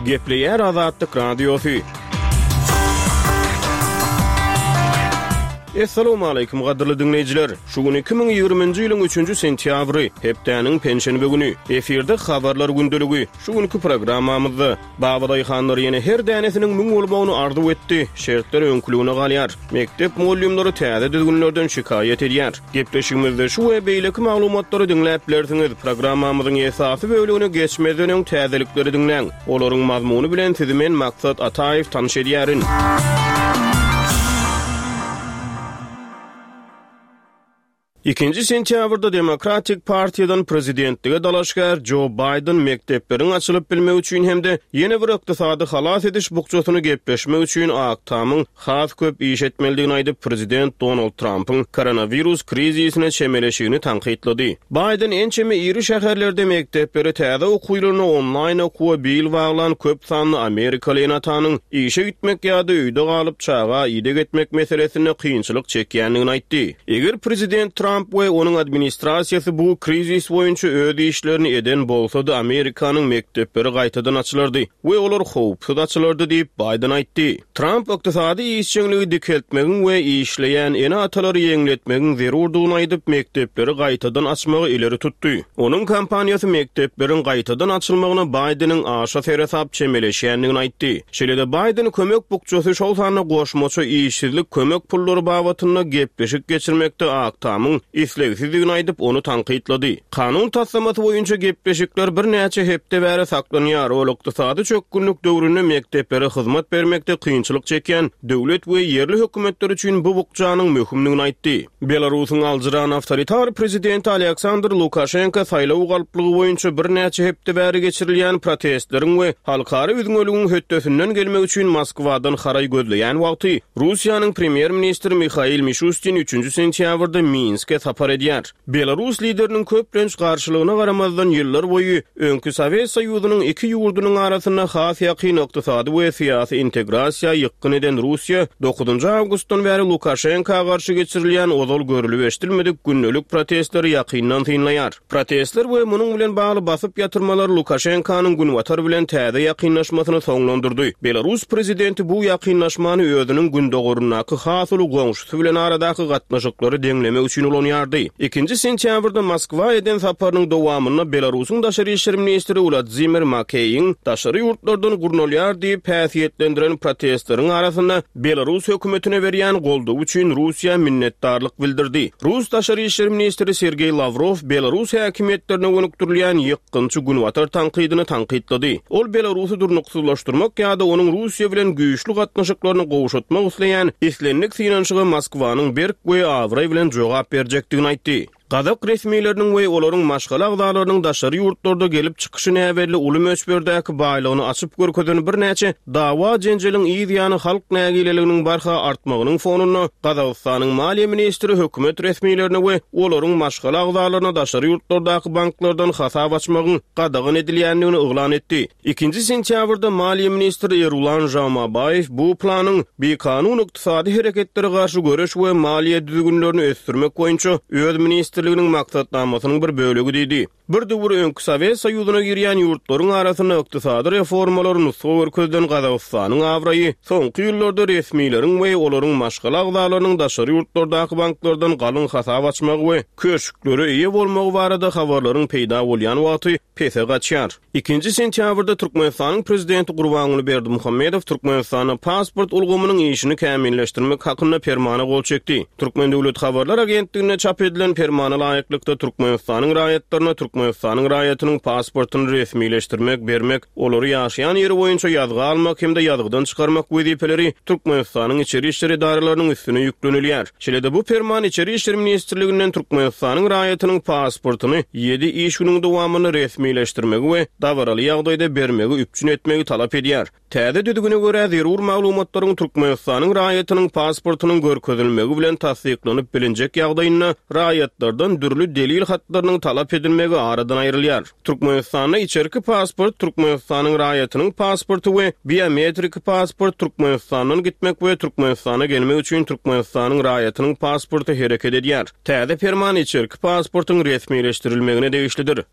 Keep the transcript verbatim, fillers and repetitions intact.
Gepleýär Azatlyk Radiosy. Essalamu aleýkum gadyrly diňleýjiler. Şu gün iki müň ýigriminji ýylyň üçünji sentýabry, hepdäniň penşenbe güni. Efirde habarlar gündeligi. Şu günki programmamyzda babadaýhanlar ýene her dänesiniň müň bolmagyny arzuw etdi. Şertler öňküligine galýar. Mekdep mugallymlary täze düzgünlerden şikaýat edýär. Gepleşigimizde şu we beýleki maglumatlary diňläp bilersiňiz. Programmamyzyň esasy bölümine geçmezden öň täzelikleri diňläň. Olaryň mazmuny bilen sizi men Maksat Ataýew tanyş edýärin. Ikinji sentýabrda Demokratik partiýadan prezidentlige dalaşgär Jo Baýden mekdepleriň açylyp bilmegi üçin hem-de ýene bir ykdysady halas ediş bukjasyny gepleşmek üçin Ak Tamyň has köp iş etmelidigini aýdyp, prezident Donald Trumpyň koronawirus krizisine çemeleşigini tankytlady. Baýden ençeme iri şäherlerde mekdepleri täze okuw ýylyna onlaýn okuwa bil baglan köp sanly amerikaly ene-atanyň işe gitmek ýa-da öýde galyp çaga ideg etmek meselesinde kynçylyk çekýändigini aýtdy. Eger prezident Trump we onuň administrasiýasy bu krizis boýunça öz işlerini eden bolsady, Amerikanyň mekdepleri gaýtadan açylardy we olar howpsuz açylardy diýip Baýden aýtdy. Trump ykdysady işjeňligi dikeltmegiň we işleýän ene-atalary ýeňletmegiň zerurdygyny aýdyp, mekdepleri gaýtadan açmagy ileri tutdy. Onuň kompaniýasy mekdepleriň gaýtadan açylmagyna Baýdeniň aşa seresap çemeleşýändigini aýtdy. Şeýle-de Baýden kömek bukjasy, şol sanda goşmaça işsizlik kömek pullary babatynda gepleşik geçirmekde Ak Tamyň islegsizdigini aýdyp, ony tankytlady. Kanun taslamasy boýunça gepleşikler birnäçe hepde bäri saklanýar. Ol ykdysady çökgünlik döwründe mekdeplere hyzmat bermekde kynçylyk çekýän döwlet we ýerli hökümetler üçin bu bukjanyň möhümdigini aýtdy. Belarusyň aljyran awtoritar prezidenti Aleksandr Lukaşenko saýlaw galplygy boýunça birnäçe hepde bäri geçirilýän protestleriň we halkara üzňeligiň hötdesinden gelmek üçin Moskwadan haraý gözleýän wagty Russiýanyň premýer-ministri Mihail Mişustin üçünji sentýabrda Minske sapar edýär. Belarus lideriniň köplenç garşylygyna garamazdan ýyllar boýy öňki Sowet Soýuzynyň iki ýurdunyň arasynda has ýakyn ykdysady we syýasy integrasiýa ýykgyn eden Russiýa dokuzynjy awgustdan bäri Lukaşenka garşy geçirilýän ozal görülip eşidilmedik gündelik protestleri ýakyndan synlaýar. Protestler we munuň bilen bagly basyp ýatyrmalar Lukaşenkanyň günbatar bilen täze ýakynlaşmasyny soňlandyrdy. Belarus prezidenti bu ýakynlaşmany özüniň gündogaryndaky has uly goňşusy bilen aradaky gatnaşyklary deňlemek üçin ulanýardy. Ikinji sentýabrda Moskwa eden saparynyň dowamynda Belarusyň daşary işler ministri Wladimir Makeýiň daşary ýurtlardan gurnalýar diýip häsiýetlendiren protestleriň arasynda Belarus hökümetine berýän goldawy üçin Russiýa minnetdarlyk bildirdi. Rus daşary işler ministri Sergeý Lawrow Belarus häkimiýetlerine gönükdirilýän ýykgynçy günbatar tankydyny tankytlady. Ol Belarusy durnuksyzlaşdyrmak ýa-da onuň Russiýa bilen güýçli gatnaşyklaryny gowşatmak isleýän islendik synanyşyga Moskwanyň berk we abraý bilen jogap berjekdigini aýtdy. Gazak resmileriniň we olaryň maşgala agzalarynyň daşary ýurtlarda gelip çykyşy näbelli uly möçberdäki baýlygyny açyp görkezen birnäçe dawa jenjeliň yz ýany halk nägileliginiň barha artmagynyň fonunda Gazagystanyň maliýe ministri hökümet resmilerine we olaryň maşgala agzalaryna daşary ýurtlardaky banklardan hasap açmagyň gadagan edilýändigini yglan etdi. Ikinji sentýabrda maliýe ministri Erulan Žamabaýew bu planyň bikanun ykdysady hereketlere garşy göreş we maliýe düzgünlerini ösdürmek boýunça öz ministrliginiň maksatnamasynyň bir bölegi diýdi. Bir döwür öňki Sowet Soýuzyna girýän ýurtlaryň arasynda ykdysady reformalary nusga görkezilen Gazagystanyň abraýy soňky ýyllarda resmileriň we olaryň maşgala agzalarynyň daşary ýurtlardaky banklardan galyň hasap açmagy we köşklere eýe bolmagy barada habarlaryň peýda bolýan wagty pese gaçýar. Ikinji sentýabrda Türkmenistanyň prezidenti Gurbanguly Berdimuhamedow Türkmenistanda pasport ulgamynyň işini kämilleşdirmek hakynda permana gol çekdi. Türkmen Döwlet Habarlar Agentliginde çap edilen permana laýyklykda Türkmenistanyň raýatlaryna Türkmenistanyň raýatynyň pasportyny resmileşdirmek, bermek, olary ýaşaýan ýeri boýunça ýazga almak hem-de ýazgydan çykarmak wezipeleri Türkmenistanyň içeri işler edaralarynyň üstüne ýüklenilýär. Şeýle-de bu perman Içeri işler ministrliginden Türkmenistanyň raýatynyň pasportyny ýedi iş günüň dowamynda resmileşdirmegi we dabaraly ýagdaýda bermegi üpjün etmegi talap edýär. Täze düzgüne görä zerur maglumatlaryň Türkmenistanyň raýatynyň pasportynyň görkezilmegi bilen tassyklanyp bilinjek ýagdaýynda raýatlardan dürli delil hatlarynyň talap edilmegi aradan aýrylýar. Türkmenistanda içerki pasport Türkmenistanyň raýatynyň pasporty we biometrik pasport Türkmenistandan gitmek we Türkmenistana gelmek üçin Türkmenistanyň raýatynyň pasporty hereket edýär. Täze perman içerki pasportyň resmileşdirilmegine degişlidir.